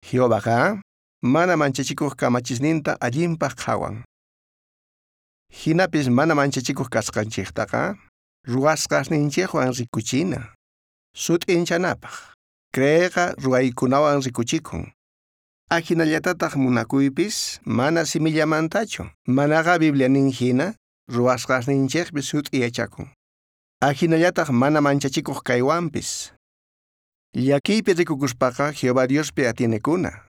Jehovaqa mana manchachikoj kamachisninta allinpaj qhawan. Jinapis mana manchachikoj kasqanchejtaqa ruwasqasninchejwan rikuchina. Sut'inchanapaj. Creeyqa ruwaykunawan rikuchikun. Ajinallatataj munakuypis mana simillamantachu, manaqa Biblia nin jina ruwasqasninchejpi sut'i yachakun. Ajinallataj mana manchachikoj kaywanpis. Llakiypi rikukuspaqa Jehová Diospi atienekuna.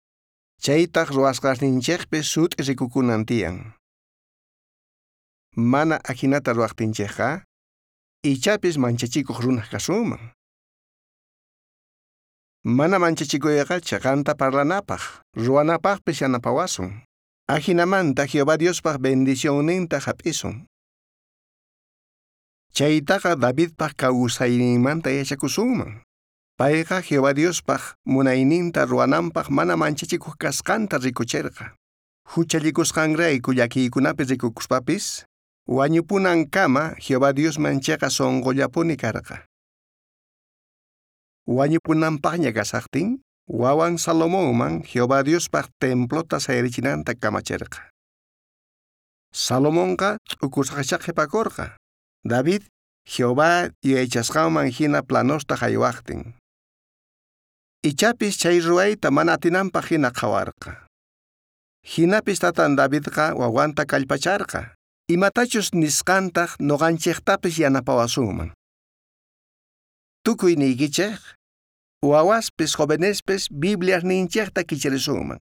Chaytaj ruwasqasninchejpi sut'i rikukunan tiyan. Mana ajinata ruwajtinchejqa, ichapis manchachikoj runaj kasunman. Mana manchachikuyqa cheqanta parlanapaj, ruwanapajpis yanapawasun. Ajinamanta Jehová Diospaj bendicionninta hap'isun. Chaytaqa Davidpaj kawsayninmanta yachakusunman. Payqa Jehová Diospaj munayninta ruwananpaj mana manchachikuq kasqanta rikucherqa. Huchallikusqanrayku llakiykunapi rikukuspapis, wañupunankama Jehová Diosman cheqa sunqullapuni karqa. Wañupunanpaqña kasaqtin, wawan Salomonman Jehová Diospaj templota sayarichinanta kamacherqa. Salomonqa t'ukusqachá qhipakurqa. David Jehová yuyaychasqanman hina planosta haywaqtin. Ichapis chay ruwayta mana atinanpaq hina qhawarqa. Hinapis tatan Davidqa wawanta kallpacharqa. Imatachus nisqantaq noqanchejtapis yanapawasunman. Tukuy niykichej, wawaspis jovenespis Bibliasninchejta kicharisunman.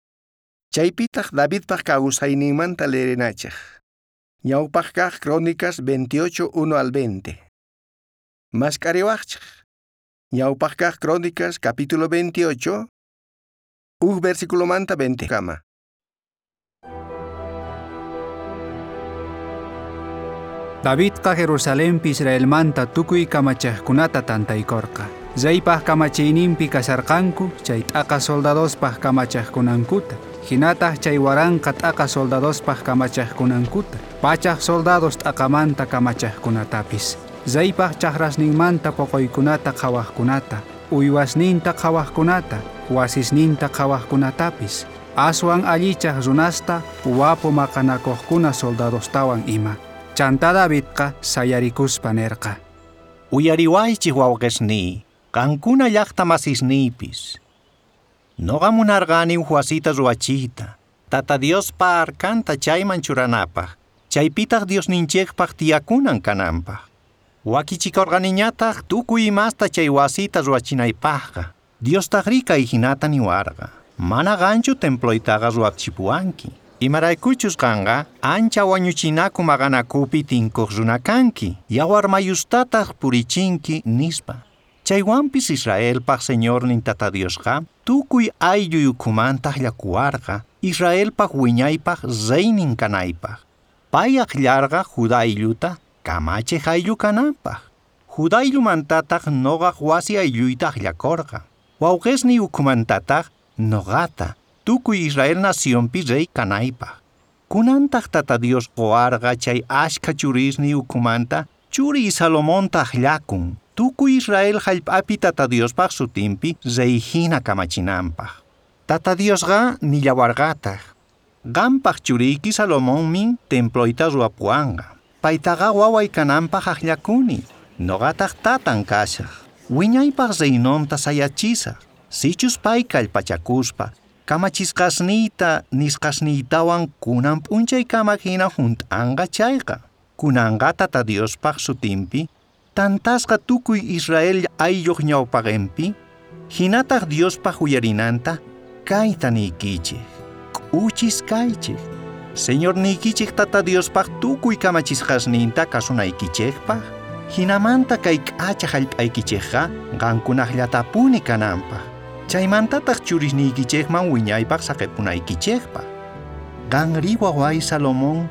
Chaypitaq Davidpaq kawsayninmanta leerinachej. Ñawpaq kaq Crónicas 28, 1 al 20. Mask'ariwaqchej. Ñawpaq kaq Crónicas capítulo 28, uj versículomanta 20 kama. Davidqa Jerusalempi Israelmanta tukuy kamachejkunata tantaykorqa. Reypaj kamachiyninpi kasharqanku chay t'aqa soldadospaj kamachejkunankuta, hinataq chay waranqa t'aqa soldadospaj kamachejkunankuta, pachaj soldados t'aqamanta kamachejkunatapis. Reypaj chajrasninmanta poqoykunata qhawajkunata, uywasninta qhawajkunata, wasisninta qhawajkunatapis, aswan allichaj runasta wapu maqanakuqkuna soldadostawan ima. Chantá Davidqa sayarikuspa nerqa. Uyariwaychik wawqisniy, qankuna llaqta masisniypis. Noqa munarqani uj wasita ruwachiyta, Tata Diospa arkanta chayman churanapaj, chaypitaq Diosninchikpaq tiyakunan kananpaj. Wakichikorqaniñataq tukuy imasta chay wasita ruwachinaypaqqa. Diostaqri kay hinata niwarqa. Mana qanchu temploytaqa ruwachipuwanki. Imaraykuchus qanqa ancha wañuchinaku maqanakupi tinkuq runa kanki, yawar mayustataq purichinki nispa. Chaywanpis Israelpaq Señornin Tata Diosqa tukuy aylluy ukhumanta akllakuwarqa Israelpaq wiñaypaq reynin kanaypaq. Pay akllarqa Judá aylluta kamachiq ayllu kananpaq. Judá ayllumantataq noqaq wasi aylluyta akllakurqa. Wawqisniy ukhumantataq noqata tukuy Israel nacionpi rey kanaypaq. Kunantaq Tata Dios qowarqa chay ashkha churisniy ukhumanta churiy Salomonta akllakun tukuy Israel hallp'api Tata Diospaq sutinpi rey hina kamachinanpaq. Tata Diosqa nillawarqataq, qanpaq churiyki Salomonmin temployta ruwapuwanqa. Paytaqa waway kananpaq akllakuni, noqataq tatan kashaq. Wiñaypaq reinonta sayachisaq. Sichus pay kallpachakuspa kamachisqasniyta nisqasniytawan kunan p'unchaykama hina hunt'anqa chayqa. Kunanqa Tata Diospaq sutinpi tantasqa tukuy Israel aylluq ñawpaqinpi, hinataq Diospaq uyarinanta kayta niykichik, k'uchis kaychik. Señorniykichik Tata Diospaq tukuy kamachisqasninta kasunaykichikpaq, hinamanta kay k'acha hallp'aykichikqa qankunaqllatapuni kananpaq. Chaymantataq churisniykichikman wiñaypaq saqipunaykichikpaq. Qanri waway Salomón,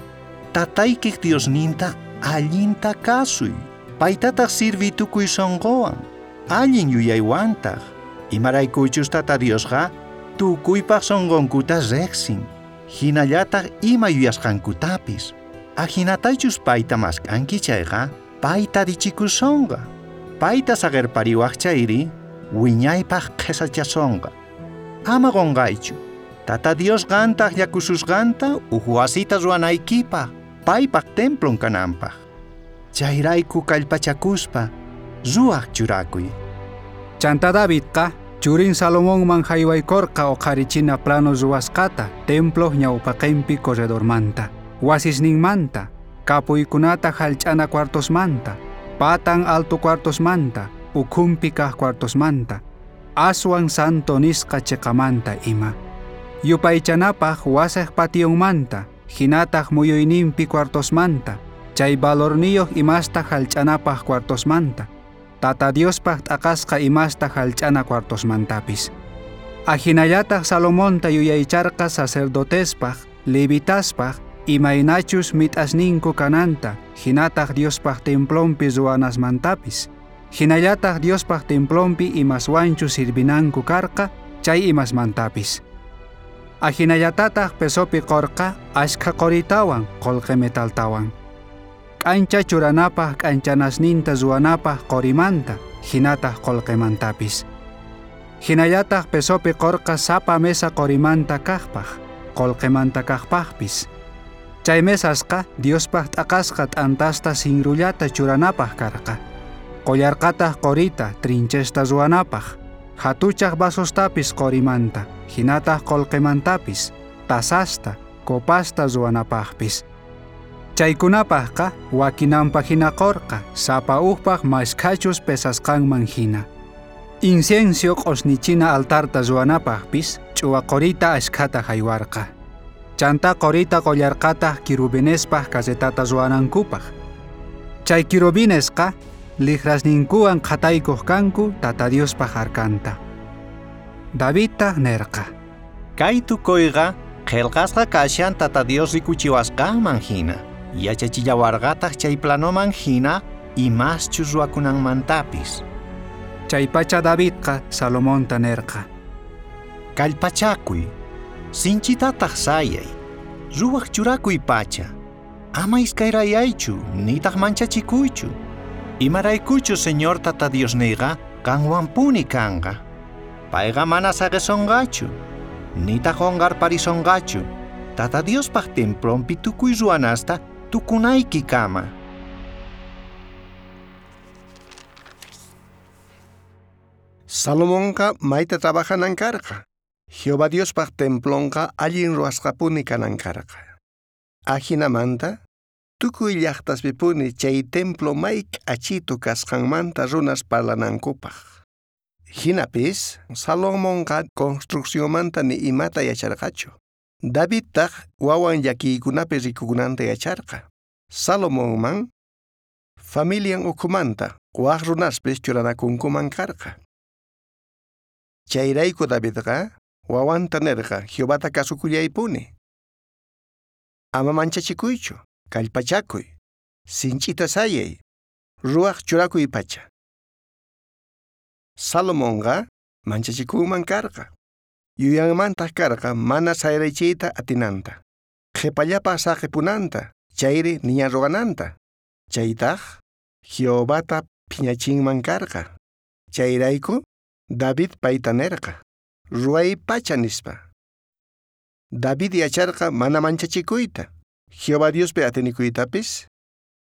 tataykik Diosninta allinta kasuy. Paytataq sirviy tukuy sunquwan, allin yuyaywantaq. Imaraykuchus Tata Diosqa tukuypaq sunqunkuta riqsin, hinallataq ima yuyasqankutapis. Ajinatachus payta mask'anki chayqa, payta richikusonqa. Payta saqirpariwaq chayri, wiñaypaq qhesachasonqa. Ama qonqaychu. Tata Dios qanta akllakususqanta uj wasita ruwanaykipaj, paypaj templon kananpaj. Chayrayku kallpachakuspa ruwaj churakuy. Chantá Davidqa churin Salomonman jaywaykorqa oqharichina plano ruwasqata temploj ñawpaqenpi corredormanta, wasisninmanta, kapuykunata jallch'ana cuartosmanta, patan alto cuartosmanta, ukhunpi kaj cuartosmanta, aswan santo nisqa cheqamanta ima. Yupaychanapaj wasej pationmanta, jinataj muyuyninpi cuartosmanta, chay valorniyoj imasta jallch'anapaj cuartosmanta, Tata Diospaj t'aqasqa imasta jallch'ana cuartosmantapis. Ajinallataj Salomonta yuyaycharqa sacerdotespaj, levitaspaj, imaynachus mit'asninku kananta, jinataj Diospaj templonpi ruwanasmantapis. Jinallataj Diospaj templonpi imaswanchu sirvinanku karqa, chay imasmantapis. Ajinallatataj pesopi qorqa ashkha qoritawan qolqe metaltawan. K'ancha churanapaj k'anchanasninta ruwanapaj qorimanta, jinataj qolqemantapis. Jinallataj pesopi qorqa sapa mesa qorimanta kajpaj, qolqemanta kajpajpis. Chay mesasqa Diospaj t'aqasqa t'antasta sinrullata churanapaj karqa. Qollarqataj qorita trinchesta ruwanapaj, jatuchaj vasostapis qorimanta, jinataj qolqemantapis, tasasta, copasta ruwanapajpis. Chaykunapajqa wakinanpaj hina qorqa, sapa ujpaj mashkhachus pesasqanman hina. Incienso q'osnichina altarta ruwanapajpis ch'uwa qorita ashkhata jaywarqa. Chantá qorita qollarqataj querubinespaj carretata ruwanankupaj. Chay querubinesqa lijrasninkuwan qhataykoj kanku Tata Diospaj arkanta. Davidtaj nerqa: Kay tukuyqa qhelqasqa kashan Tata Dios rikuchiwasqanman hina. Yachachillawarqataj chay planoman hina imaschus ruwakunanmantapis. Chaypacha Davidqa Salomonta nerqa: Kallpachakuy, sinchitataj sayay, ruwaj churakuy pacha. Ama iskayrayaychu, nitaj manchachikuychu. Imaraykuchu Señor Tata Diosniyqa qanwanpuni kanqa. Payqa mana saqisonqachu, nitaj qonqarparisonqachu. Tata Diospaj templonpi tukuy ruwanasta tukunaykikama. Salomonqa mayta trabajanan karqa. Jehová Diospaj templonqa allin ruwasqapuni kanan karqa. Ajinamanta tukuy llaqtaspipuni chay templo may k'achitu kasqanmanta runas parlanankupaj. Jinapis Salomonqa construccionmanta ni imata yacharqachu. Davidtaj wawan llakiykunapi rikukunanta yacharqa. Salomonman familian ukhumanta waj runaspis churanakunkuman karqa. Chayrayku Davidqa wawanta nerqa Jehovata kasukullaypuni. Ama manchachikuychu, kallpachakuy, sinch'ita sayay, ruwaj churakuy pacha. Salomonqa manchachikunman karqa. Yuyanmantaj karqa mana sayraychiyta atinanta. Qhipallapaj saqipunanta, chayri niña ruwananta. Chaytaj Jehovata phiñachinman karqa. Chayrayku David payta nerqa: Ruway pacha nispa. David yacharqa mana manchachikuyta, Jehová Diospi atinikuytapis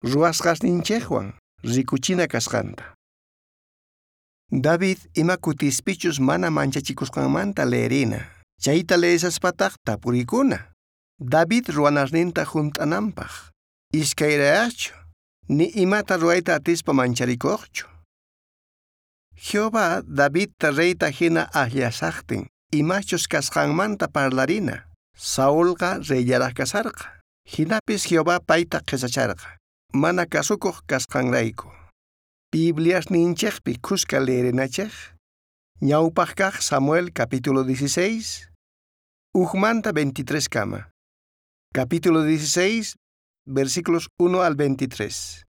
ruwasqasninchejwan rikuchina kasqanta. David ima kutispichus mana manchachikusqanmanta leerina. Chayta leesaspataj tapurikuna. David ruwanasninta junt'ananpaj. Iskayrayaqchu, ni imata ruwayta atispa mancharikuqchu. Jehová Davidta reyta hina akllasaqtin, imachus kasqanmanta parlarina. Saulqa reyllaraj kasarqa. Jinapis Jehová payta qhesacharqa, mana kasukuq kasqanrayku. Bibliasninchejpi khuska leerinachej. Ñawpaj kaj Samuel capítulo 16, ujmanta 23 kama. Capítulo 16, versículos 1 al 23.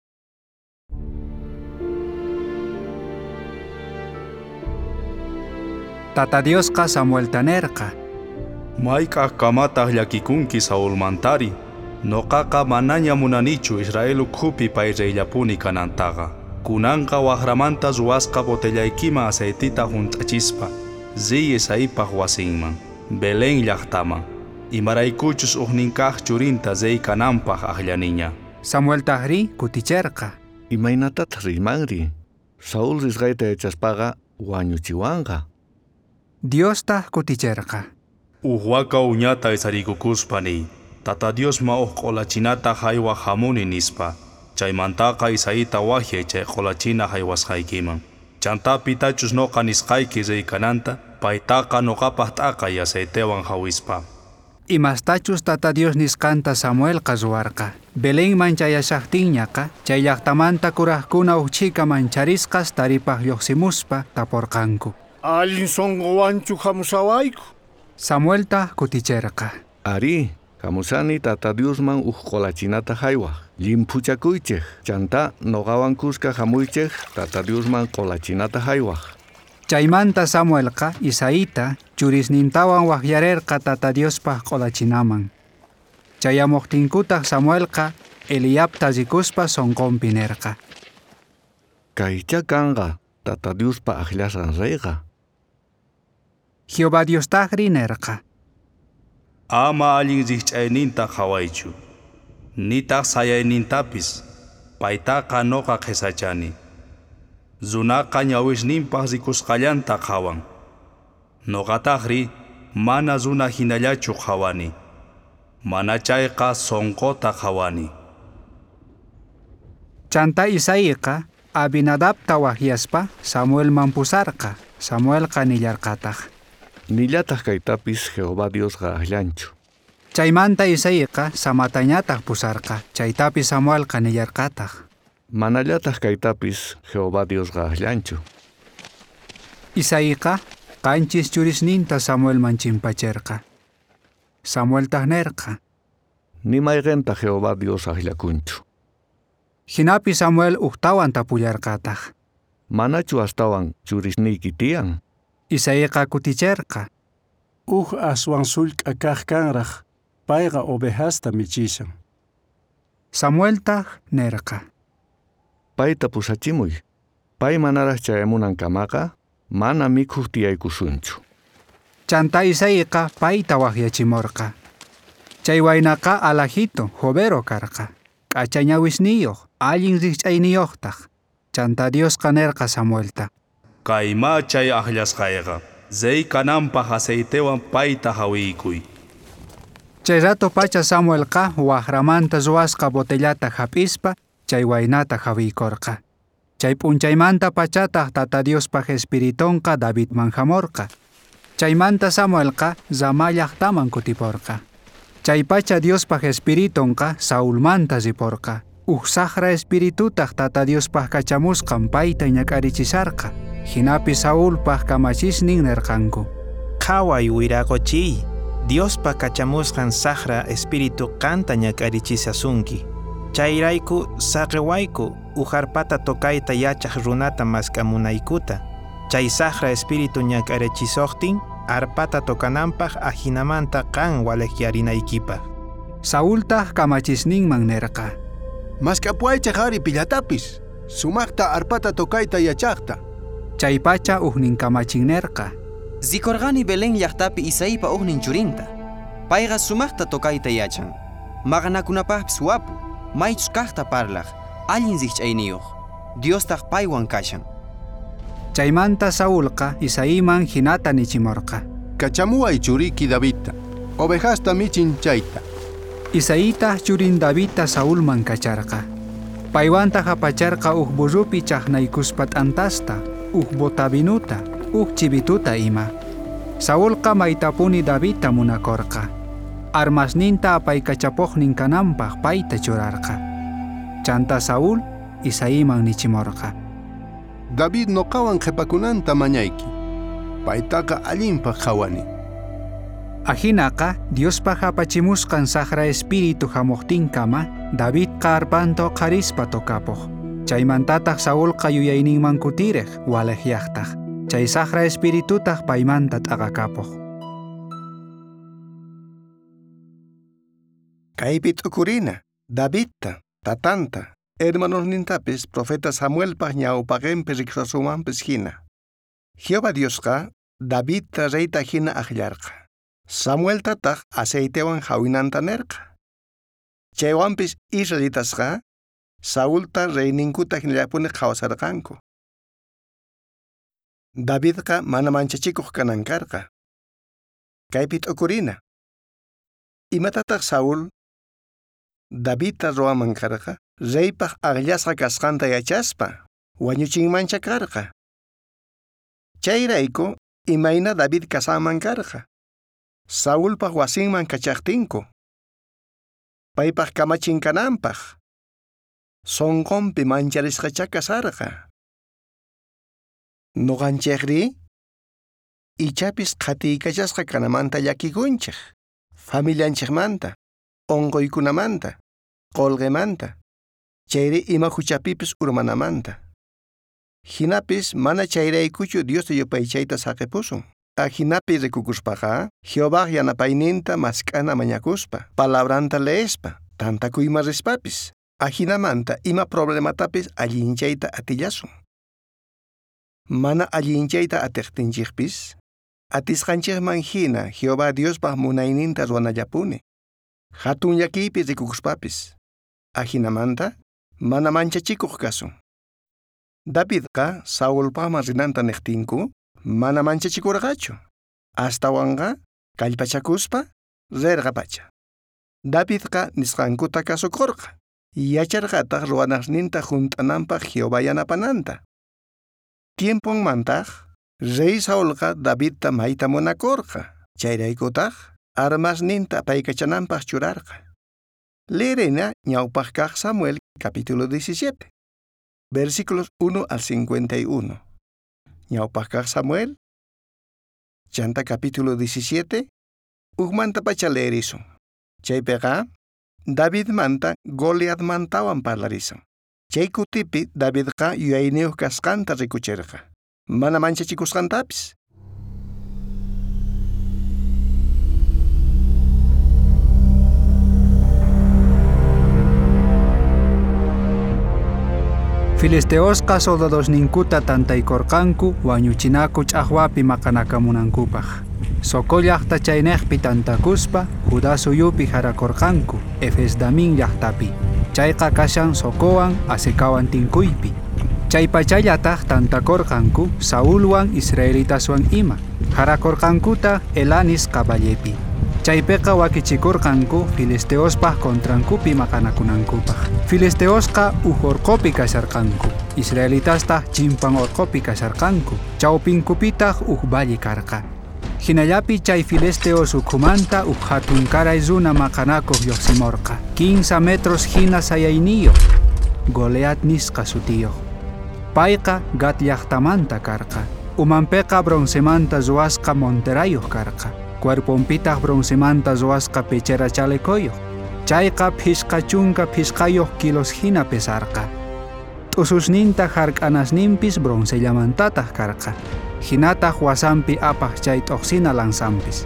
Tata Diosqa Samuelta nerqa: Mayk'aj kamataq llakikunki Saulmantari. Noqaqa manaña munanichu Israel ukhupi pay reyllapuni kanantaqa. Kunanqa wajramanta ruwasqa botellaykiman aceitita junt'achispa, Riy Isaipaj wasinman, Belén llaqtaman, imaraykuchus ujnin kaq churinta rey kananpaj ajllaniña. Samueltajrí kuticherqa. Imaynatataq riymanri? Saúl risqayta yachaspaqa wañuchiwanqa. Diostaj kuticherqa. Uj waka uñata isariykukuspa niy, Tata Diosman uj q'olachinata jaywaj jamuni nispa. Chaymantaqa Isaíta wajyay chay q'olachina jaywasqaykiman. Chantá pitachus noqa nisqayki rey kananta, paytaqa noqapaj t'aqay aceitewan jawispa. Imastachus Tata Dios nisqanta Samuelqa ruwarqa. Belenman chayashajtinñaqa, chay llaqtamanta kurajkuna uj chhika mancharisqas taripaj lluqsimuspa taporqanku. Allin sonqowanchu hamushawayku. Samueltaj kuticherqa. Arí, hamushani Tata Diosman uj q'olachinata jaywaj. Llimphuchakuychej, chantá noqawan kuska hamuychej Tata Diosman q'olachinata jaywaj. Chaymanta Samuelqa Isaíta churisnintawan wajyarerqa Tata Diospaj q'olachinaman. Chayamuqtinkutaq Samuelqa Eliabta rikuspa sonqonpi nerqa. Kaycha kanqa Tata Diospa ajllasqan reyqa. Jehová Diostajri nerqa. Ama allin rikch'ayninta qhawaychu, nitaq sayaynintapis, paytaqa noqa qhisachani. Runaqa ñawisninpaq rikusqallanta qhawan. Noqatajri mana runa hinallachu qhawani. Mana chayqa sonqota qhawani. Chantá Isaíqa Abinadabta wajyaspa Samuelman pusarqa. Samuelqa nillarqataq. Nillataq kaytapis Jehová Diosqa ajllanchu. Chaymanta Isaíqa Samatañataq pusarqa. Chaytapis Samuelqa nillarqataq. Manallataq kaytapis Jehová Diosqa ajllanchu. Isaíqa qanchis churisninta Samuelman chimpacherqa. Samueltaj nerqa. Ni mayqenta Jehová Dios ajllakunchu. Jinapi Samuel ujtawan tapullarqataq. Manachu astawan churisniyki tiyan? Isaíqa kuticherqa. Uj aswan sullk'a kaq kanraq, payqa ovejasta michishan. Samueltaj nerqa. Payta pusachimuy. Pay manaraq chayamunankamaqa mana mikhuq tiyaykusunchu. Chantá Isaíqa payta wajyachimorqa. Chay waynaqa alajito, jovero karqa. K'acha ñawisniyuq, allin rikch'ayniyuqtaq. Chantá Diosqa nerqa Samuelta. Kaymá chay ajllasqayqa, rey kananpaj aceitewan payta jawiykuy. Chay rato pacha Samuelqa wajramanta ruwasqa botellata hap'ispa chay waynata jawiykorqa. Chay p'unchaymanta pachataq Tata Diospaj Espiritonqa Davidman hamorqa. Chaymanta Samuelqa Ramá llaqtaman kutiporqa. Chaypacha Diospaj Espiritonqa Saulmanta riporqa. Uj saqra espiritutaq Tata Diospaj kachamusqan payta ñak'arichisharqa. Jinapi Saulpaj kamachisnin nerqanku. Qhaway wiraqochiy, Diospa kachamusqan saqra espíritu qanta ñak'arichishasunki. Chayrayku saqiwayku uj arpata tocayta yachaq runata mask'amunaykuta. Chay saqra espíritu ñak'arichisuqtin arpata tocananpaj ajinamanta qan walejyarinaykipaj. Saultaj kamachisninman nerqa. Mask'apuwaychej ari pillatapis, sumaqta arpata tocayta yachaqta. Chaypacha ujnin kamachin nerqa. Rikorqani Belén llaqtapi Isaípa ujnin churinta. Payqa sumaqta tocayta yachan. Maqanakunapaqpis wapu, maychus kaqta parlaq, allin rikch'ayniyuq. Diostaq paywan kashan. Chaymanta Saulqa Isaíman hinata nichimorqa. Kachamuway churiki Davidta, ovejasta michin chayta. Isaítaj churin Davidta Saulman kacharqa. Paywantaq apacharqa uj burrupi chaqnaykuspa t'antasta, uj bota vinuta, uj chivituta ima. Saulqa maytapuni Davidta munakorqa. Armasninta apaykachapuqnin kananpaq payta churarqa. Chanta Saúl Isaíman nichimorqa. David noqawan qhipakunanta mañayki. Paytaqa allinpaq qhawani. Ajinaqa Diospaj apachimusqan saqra espíritu hamuqtinkama Davidqa arpanta uqharispa tocapuq. Chaymantataq Saulqa yuyayninman kutirej walejyaqtaq. Chay saqra espiritutaq paymanta t'aqakapuq. Kaypi t'ukurina, Davidta, tatanta, hermanosnintapis profeta Samuelpaj ñawpaqinpi riqsasumanpis hina. Jehová Diosqa Davidta reyta hina ajllarqa. Samueltataq aceitewan jawinanta nerqa. Chaywanpis israelitasqa Saulta reyninkuta hinallapuni qhawasarqanku. Davidqa mana manchachikuq kanan karqa. Kaypi t'ukurina. Imatataq Saúl Davidta ruwaman karqa? Reypaq aqllasqa kasqanta yachaspa wañuchinmancha karqa. Chayrayku imayna David kasanman karqa. Saulpaq wasinman kachaqtinku. Paypaq kamachin kananpaq. Sonqonpi mancharisqacha kasarqa. Noqanchikri ichapis qhatiykachasqa kanamanta llakikunchik. Familianchikmanta, unquykunamanta, qolqemanta, chayri ima huchapipis urmanamanta. Hinapis mana chayraykuchu Diosta yupaychayta saqipusun. Ajinapi rikukuspaqa, Jehová yanapayninta mask'ana mañakuspa, palabranta leespa, tantakuyman rispapis. Ajinamanta ima problematapis allinchayta atillasun. Mana allinchayta atiqtinchikpis, atisqanchikman hina Jehová Diospaq munayninta ruwanallapuni. Hatun llakiypi rikukuspapis. Ajinamanta mana manchachikuq kasun. Davidqa Saulpaqman rinanta niqtinku, mana manchachikurqachu. Astawanqa kallpachakuspa rirqapacha. Davidqa nisqankuta kasukurqa. Yacharqataq ruwanasninta hunt'ananpaq Jehová yanapananta. Tiemponmantaq rey Saulqa Davidta mayta munakurqa. Chayraykutaq armasninta apaykachananpaq churarqa. Leerena ñawpaq kaq Samuel capítulo 17, versículos 1 al 51. Ñawpaq kaq Samuel, chanta capítulo 17, ujmanta pacha leerisun. Chaypiqa Davidmanta Goliatmantawan parlarisun. Chay kutipi Davidqa yuyayniyuq kasqanta rikuchirqa. Mana manchachikusqantapis. Filisteosqa soldadosninkuta tantaykorqanku wañuchinaku ch'aqwapi maqanakamunankupaq. Socó llaqta chaynejpi tantakuspa Judá suyupi jarakorqanku Efesdamin llaqtapi. Chayqa kashan Socowan Azekawan tinkuypi. Chaypachallataq tantakorqanku Saulwan israelitaswan ima. Jarakorqankuta Elanis caballepi. Chaypiqa wakichikurqanku filisteospaq contrankupi maqanakunankupaq. Filisteosqa uj orqopi kasharqanku, israelitastaq chimpan orqopi kasharqanku, chawpinkupitaq uj valle karqa. Hinallapi chay filisteos ukhumanta uj hatunkaray runa maqanakuq lluqsimurqa, 15 metros hina sayayniyuq, Goliat nisqa sutiyuq. Payqa Gat llaqtamanta karqa, umanpiqa broncemanta ruwasqa monterayuq karqa. Cuerponpitaq broncemanta ruwasqa pechera chalecoyuq. Chayqa 55 kilos hina pesarqa. T'ususninta hark'anasninpis broncellamantataq karqa. Hinataq wasanpi apaq chay t'uqsina lanzanpis.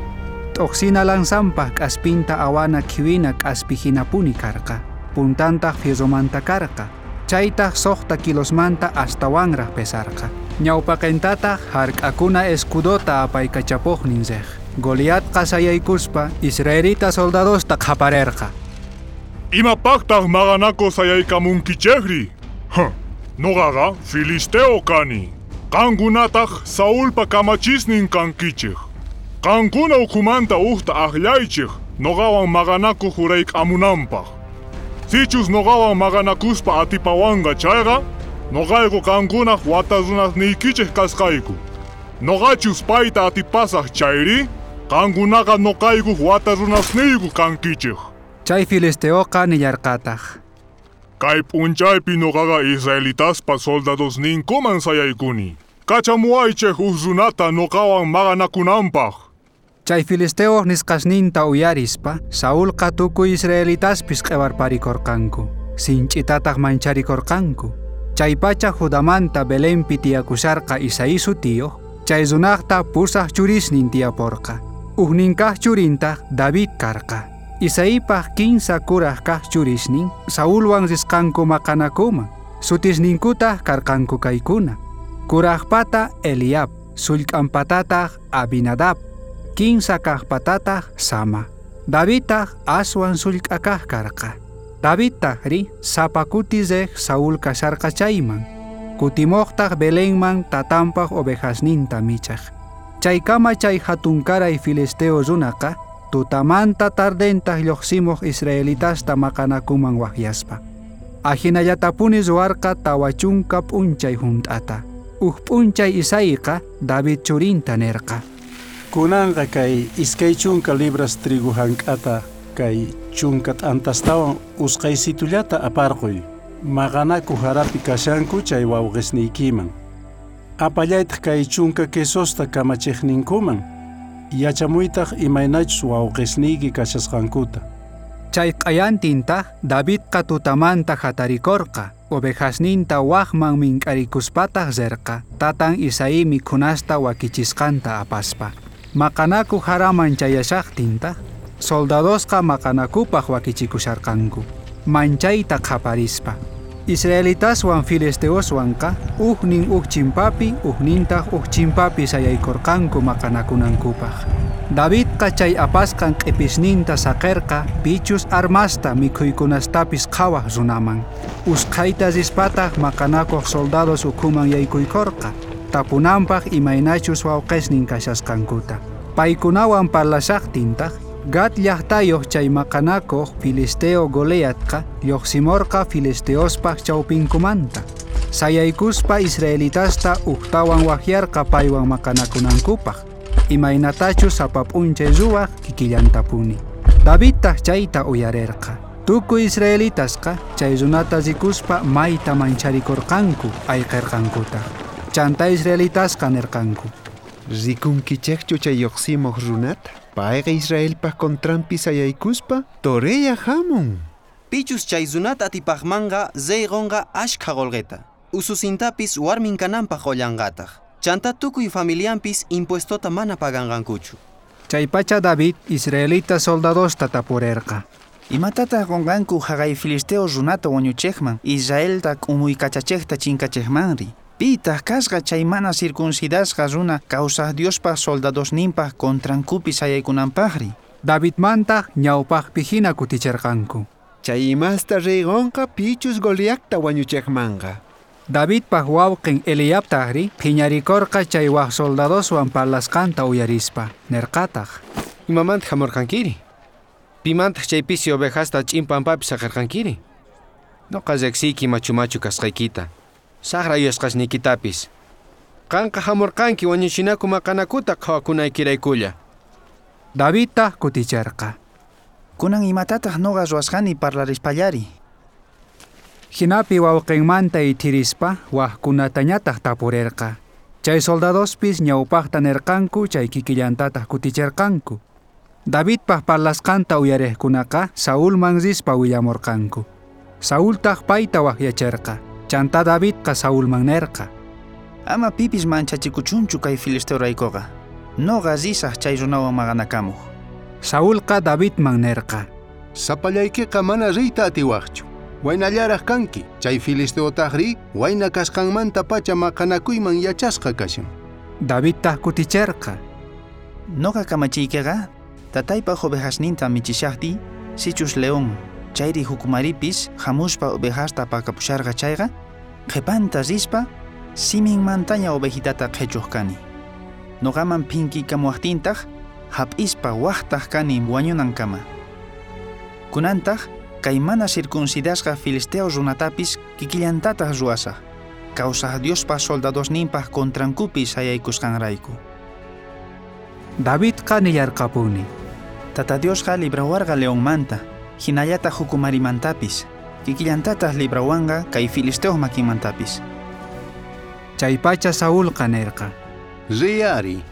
T'uqsina lanzanpaq k'aspinta awana khiwina k'aspi hinapuni karqa. Puntantaq fierromanta karqa. Chaytaq 6 kilosmanta astawanraq pesarqa. Ñawpaqintataq hark'akuna escudota apaykachapuqnin riq. Goliatqa sayaykuspa israelita soldadosta qhaparerqa. Imapaqtaq maqanaku sayaykamunkichikri? Noqaqa filisteo kani. Qankunataq Saulpa kamachisnin kankichik. Qankuna ukhumanta uqta aqllaychik noqawan maqanakuq hurayk'amunanpaq. Sichus noqawan maqanakuspa atipawanqa chayqa, noqayku qankunaq wata runasniykichik kasqayku. Noqachus payta atipasaq chayri, qankunaqa noqaykuq wata runasniyku kankichik. Chay filisteoqa nillarqataq. Kay p'unchaypi noqaqa israelitaspa soldadosninkuman sayaykuni. Kachamuwaychik uj runata noqawan maqanakunanpaq. Chay filisteoq nisqasninta uyarispa, Saulqa tukuy israelitaspis q'iwarparikorqanku, sinch'itataq mancharikorqanku. Chaypacha Judamanta Belenpi tiyakusharqa Isaí sutiyuq, chay runaqta 8 churisnin tiyaporqa. Ujninkaq churintaq David karqa. Isaípaq 15 kuraj kaq churisnin Saulwan risqanku maqanakuman. Sutisninkutaq karqanku kaykuna. Kurajpata Eliab, Sullk'anpatataj Abinadab, kinsa kajpatataj Sama. Davidtaj aswan sullk'a kaj karqa. Davidtajri sapa kuti rej Saúl kasharqa chayman. Kutimojtaj Belenman tatanpaj ovejasninta michaj. Chaykama chay jatunkaray filisteo runaqa tutamanta tardentaj llojsimoj israelitasta maqanakuman wajyaspa. Ajinallatapuni ruwarqa 40 p'unchay junt'ata. Uj p'unchay Isaiqa David churinta nerqa: Kunanqa kay 20 libras trigo jank'ata kay 10 t'antastawan usqhaysitullata aparquy. Maqanaku jarapi kashanku chay wawqisniykiman. Apallaytaj kay 10 quesosta kamachiqninkuman. Yachamuytaj imaynachus wawqisniyki kashasqankuta. Chay q'ayantintaj Davidqa tutamanta jatarikorqa, ovejasninta wajman mink'arikuspataj rerqa, tatan Isaí mikhunasta wakichisqanta apaspa. Maqanaku jaraman chayashajtintaj, soldadosqa maqanakupaj wakichikusharqanku, manchayta qhaparispa. Israelitaswan filisteoswanqa ujnin uj chimpapi, ujnintaj uj chimpapi sayaykorqanku maqanakunankupaj. Davidqa chay apasqan q'ipisninta saqerqa pichus armasta mikhuykunastapis qhawaj runaman. Usqhayta rispataj maqanakuq soldados ukhuman yaykuykorqa, tapunanpaj imaynachus wawqesnin kashasqankuta. Paykunawan parlashajtintaj, Gat llajtayoj chay maqanakuq filisteo Goliatqa llojsimorqa filisteospaj chawpinkumanta. Sayaykuspa israelitasta ujtawan wajyarqa paywan maqanakunankupaj, imaynatachus sapa p'unchay ruwaj kikillantapuni. Davidtaj chayta uyarerqa. Tukuy israelitasqa chay runata rikuspa mayta mancharikorqanku ayqerqankutaj. Chanta israelitasqa nerqanku: Rikunkichejchu chay llojsimoj runata? Payqa Israelpaj contranpi sayaykuspa toreya hamun. Pichus chay runata atipajmanqa rey qonqa ashkha qolqeta. Ususintapis warmin kananpaj qollanqataj. Chanta tukuy familianpis impuestota mana paganqankuchu. Chaypacha David israelita soldadosta tapurerqa: Imatataq qonqanku jaqay filisteo runata wañuchejman, Israelta k'umuykachachejta chinkachejmanri? Pitaq kasqa chay mana circuncidasqa runa kawsaj Diospaj soldadosninpaj contrankupi sayaykunanpajri? Davidmantaj ñawpajpi hina kuticherqanku. Chay imasta rey qonqa pichus Goliatta wañuchejmanqa. Davidpaj wawqin Eliabtajri phiñarikorqa chay waj soldadoswan parlasqanta uyarispa, nerqataj: Imamanta hamurqankiri? Pimantaj chay pisi ovejasta ch'in pampapi saqerqankiri? Noqa riqsiyki machu machu kasqaykita, saqra yuyasqasniykitapis. Qanqa hamurqanki wañuchinaku maqanakuta qhawakunaykiraykulla. Davidtaj kuticherqa: Kunan imatataq noqa ruwasqani parlarispallari? Jinapi wawqinmanta ithirispa wajkunatañataj tapurerqa. Chay soldadospis ñawpajta nerqanku chay kikillantataj kuticherqanku. Davidpaj parlasqanta uyarejkunaqa Saulman rispa willamorqanku. Saultaj payta wajyacherqa. Chanta Davidqa Saulman nerqa: Ama pipis manchachikuchunchu kay filisteoraykuqa. Noqa risaj chay runawan maqanakamuj. Saulqa Davidman nerqa: Sapallaykiqa mana riyta atiwajchu. Waynallaraj kanki, chay filisteotajri wayna kasqanmantapacha maqanakuyman yachasqa kashan. Davidtaj kuticherqa: Noqa kamachiykiqa tataypaj ovejasninta michishajtiy, sichus león chayri jukumaripis hamuspa ovejasta pakapusharqa chayqa, qhipanta rispa siminmantaña ovejitata qhichuq kani. Noqaman phinkikamuwajtintaq hap'ispa wajtaj kani wañunankama. Kunantaj kay mana circuncidasqa filisteo runatapis kikillantataj ruwasaj, kawsaj Diospaj soldadosninpaj contrankupi sayaykusqanrayku. Davidqa nillarqapuni: Tata Diosqa librawarqa leonmanta, hinallataq jukumarimantapis, kikillantataj librawanqa kay filisteoj makinmantapis. Chaypacha Saulqa nerqa: Riyari,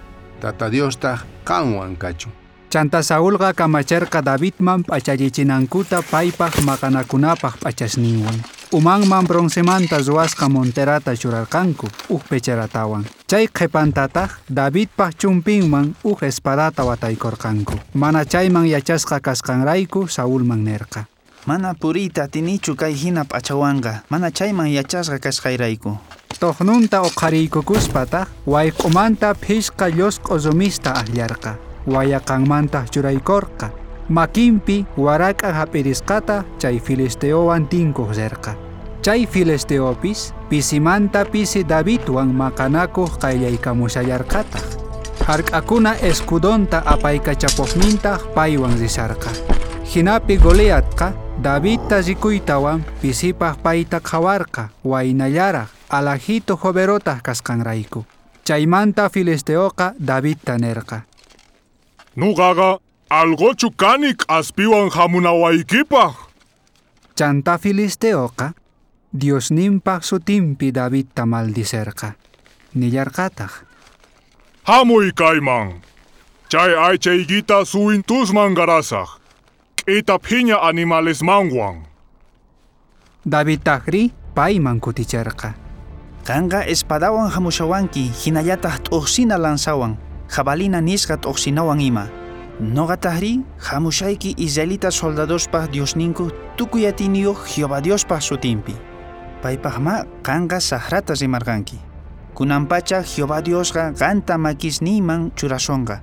Tata Diostaj qanwan kachun. Chanta Saulqa kamacherqa Davidman p'achallichinankuta paypaj maqanakunapaj p'achasninwan. Umanman broncemanta ruwasqa monterata churarqanku uj pecheratawan. Chay qhipantataj Davidpaj chumpinman uj espadata wataykorqanku. Mana chayman yachasqa kasqanrayku Saulman nerqa: Mana puriyta atinichu kay hina p'achawanqa, mana chayman yachasqa kasqayrayku. Tojnunta oqhariykukuspataj wayq'umanta phishqa llosq'o rumista ajllarqa. Wayaqanmantaj churaykorqa. Makinpi warak'a hap'irisqata chay filisteowan tinkuj rerqa. Chay filisteopis pisimanta pisi Davidwan maqanakuj qayllaykamushallarqataj. Hark'akuna escudonta apaykachapojnintaj paywan risharqa. Jinapi Goliatqa Davidta rikuytawan pisipaj payta qhawarqa waynallaraj alajito joverotaj kasqanrayku. Chaymanta filisteoqa Davidta nerqa: Nuqaqa algochu kani k'aspiwan hamunawaykipaj. Chanta filisteoqa Diosninpaj sutinpi Davidta maldicerqa. Nillarqataj: Hamuy kayman. Chay aychaykita suwintusman qarasaj. K'ita phiña animalesmanwan. Davidtajri payman kuticherqa: Qanqa espadawan hamushawanki, hinallataq t'uqsina lanzawan, jabalina nisqa t'uqsinawan ima. Noqatajri hamushayki israelita soldadospaj Diosninku tukuy atiyniyuq Jehová Diospaj sutinpi. Paypaqma qanqa saqrata rimarqanki. Kunanpacha Jehová Diosqa qanta makisniyman churasonqa.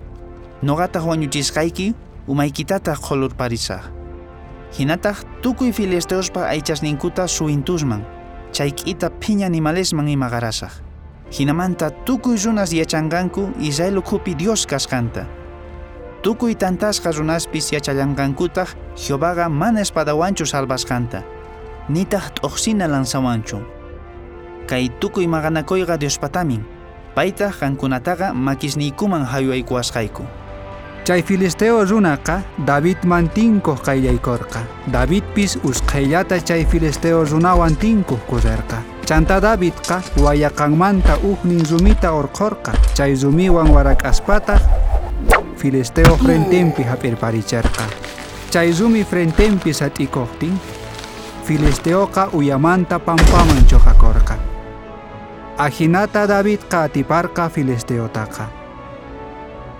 Noqataq wañuchisqayki umaykitataq qhulurparisaj. Hinataq tukuy filisteospa aychasninkuta suwintusman, chay k'ita phiña animalesman ima qarasaj. Hinamanta tukuy runas yachanqanku Israel ukhupi Dios kasqanta. Tukuy tantasqa runaspis yachallanqankutaq Jehovaqa mana espadawanchu salvasqanta, nitaq t'uqsina lanzawanchu. Kay tukuy maqanakuyqa Diospatamin, paytaq qankunataqa makisniykuman haywaykuwasqayku. Chay filisteo runaqa Davidman tinkuj qayllaykorqa. Davidpis usqhayllata chay filisteo runawan tinkuj kurrerqa. Chanta Davidqa wayaqanmanta ujnin rumita urqhorqa. Chay rumiwan warak'aspataj filisteo frentenpi hap'irparicherqa. Chay rumi frentenpi sat'ikojtin, filisteoqa uyamanta pampaman choqakorqa. Ajinata Davidqa atiparqa filisteotaqa.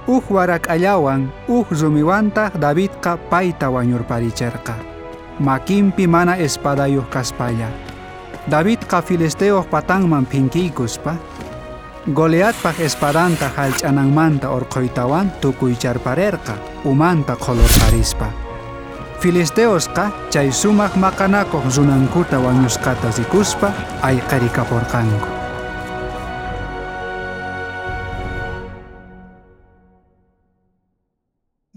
Uj warak'allawan, uj rumiwantaj Davidqa payta wañurparicherqa. Makinpi mana espadayuq kaspalla. Davidqa filisteoj patanman phinkiykuspa, Goliatpaj espadanta hallch'ananmanta urqhuytawan tukuycharparerqa, umanta qhulurparispa. Filisteosqa chay sumaq maqanakuq runankuta wañusqata rikuspa ayqirikaporqanku.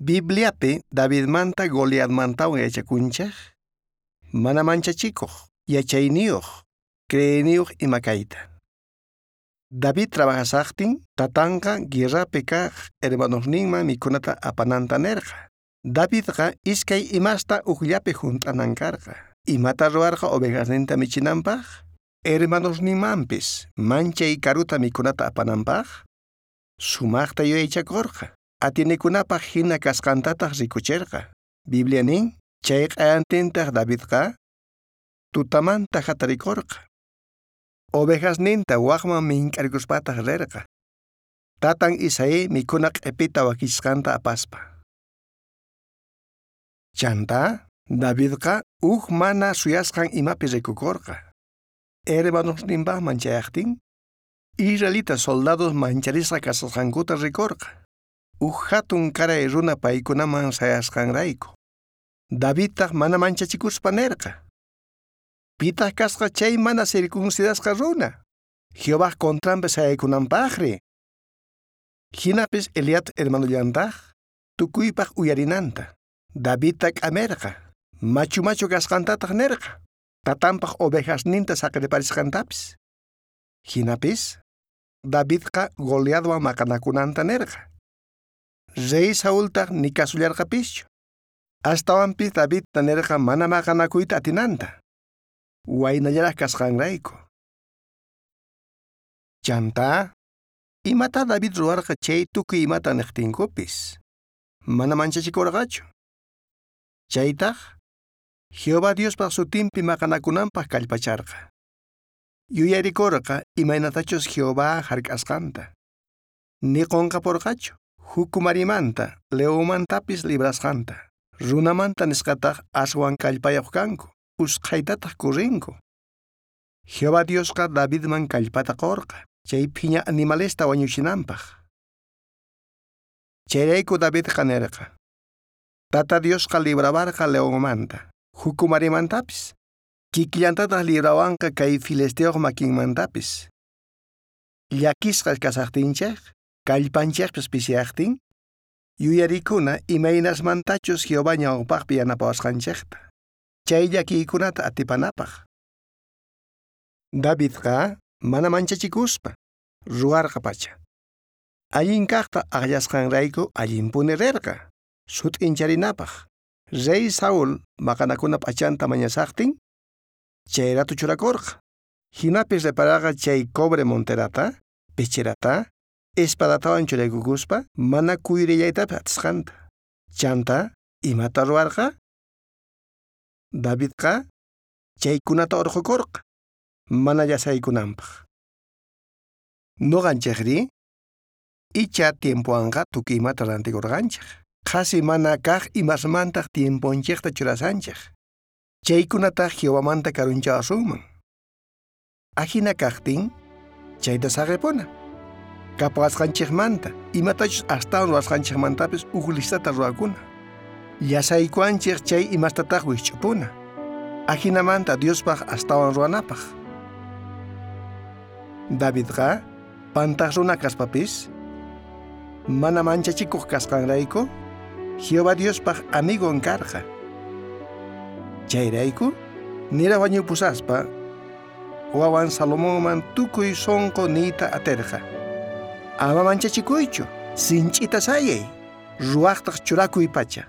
Bibliapi Davidmanta Goliatmantawan yachakunchej, mana manchachikuq, yachayniyuq, creeyniyuq ima kayta. David trabajasaqtin, tatanqa guerrapi kaq hermanosninman mikhunata apananta nerqa. Davidqa iskay imasta ujllapi junt'anan karqa. Imata ruwarqa ovejasninta michinanpaq, hermanosninmanpis manchay karuta mikhunata apananpaq, sumaqta yuyaychakorqa. Atienekunapaj hina kasqantataq rikucherqa. Biblia nin, chay q'ayantintaq Davidqa tutamanta hatarikorqa. Ovejasninta waqman mink'arikuspataq rerqa. Tatan Isaí mikhuna q'ipita wakichisqanta apaspa. Chanta, Davidqa uj mana suyasqan imapi rikukorqa. Hermanosninpaqman chayaqtin, israelita soldados mancharisqa kasqankuta rikorqa. Uj hatun karay runa paykunaman sayasqanrayku. Davidtaq mana manchachikuspa nerqa: Pitaq kasqa chay mana circuncidasqa runa, Jehovaj contranpi sayaykunanpaqri. Jinapis Eliat hermanollantaj tukuypaq uyarinanta. Davidta k'amerqa, machu machu kasqantataq nerqa, tatanpaq ovejasninta saqirparisqantapis. Jinapis Davidqa Goliatwan maqanakunanta nerqa. Rey Saultaq ni kasullarqapischu. Astawanpis Davidta nerqa mana maqanakuyta atinanta, waynallaraj kasqanrayku. Chanta, imata David ruwarqa chay tukuy imata niqtinkupis, mana manchachikurqachu. Chaytaj Jehová Diospaj sutinpi maqanakunanpaq kallpacharqa. Yuyarikorqa imaynatachus Jehová hark'asqanta. Ni qunqaporqachu jukumarimanta, leonmantapis librasqanta. Runamanta nisqataq aswan kallpayuq kanku, usqhaytataq kurrinku. Jehová Diosqa Davidman kallpata qorqa, chay phiña animalesta wañuchinanpaq. Chayrayku Davidqa nerqa: Tata Diosqa librawarqa leonmanta, jukumarimantapis. Kikillantataq librawanqa kay filisteoj makinmantapis. Llakisqa kasaqtinchej, kallpanchejpis pisiyaqtin, yuyarikuna imaynasmantachus Jehová ñawpaqpi yanapawasqanchejta. Chay llakiykunata atipanapaq. Davidqa mana manchachikuspa ruwarqa pacha. Allin kaqta aqllasqanrayku allinpuni rirqa, sut'incharinapaq. Rey Saúl maqanakuna p'achanta mañasaqtin, chayratu churakurqa. Jinapis reparaqa chay cobre monterata, pecherata, espadatawan churaykukuspa mana kuyrillaytapis atisqanta. Chanta, imata ruwarqa? Davidqa chaykunata urqukurqa, mana llasaykunanpaq. Nuqanchikri, icha tiempowanqa tukuy imata rantikurqanchik. Qhasi mana kaq imasmantaq tiemponchikta churasanchik. Chaykunataq Jehovamanta karunchawasunman. Ajina kaqtin, chayta saqipuna. Kapuwasqanchikmanta, imatachus astawan ruwasqanchikmantapis uj listata ruwakuna. Llasaykuwanchik chay imastataq wikch'upuna. Ajinamanta Diospaq astawan ruwanapaq. Davidqa pantaq runa kaspapis, mana manchachikuq kasqanrayku, Jehová Diospaq amigon karqa. Chayrayku, nira wañupusaspa, wawan Salomonman tukuy sonqo niyta aterqa. Ama manchachikuychu, sinch'ita sayay, ruwaqtaq churakuy pacha.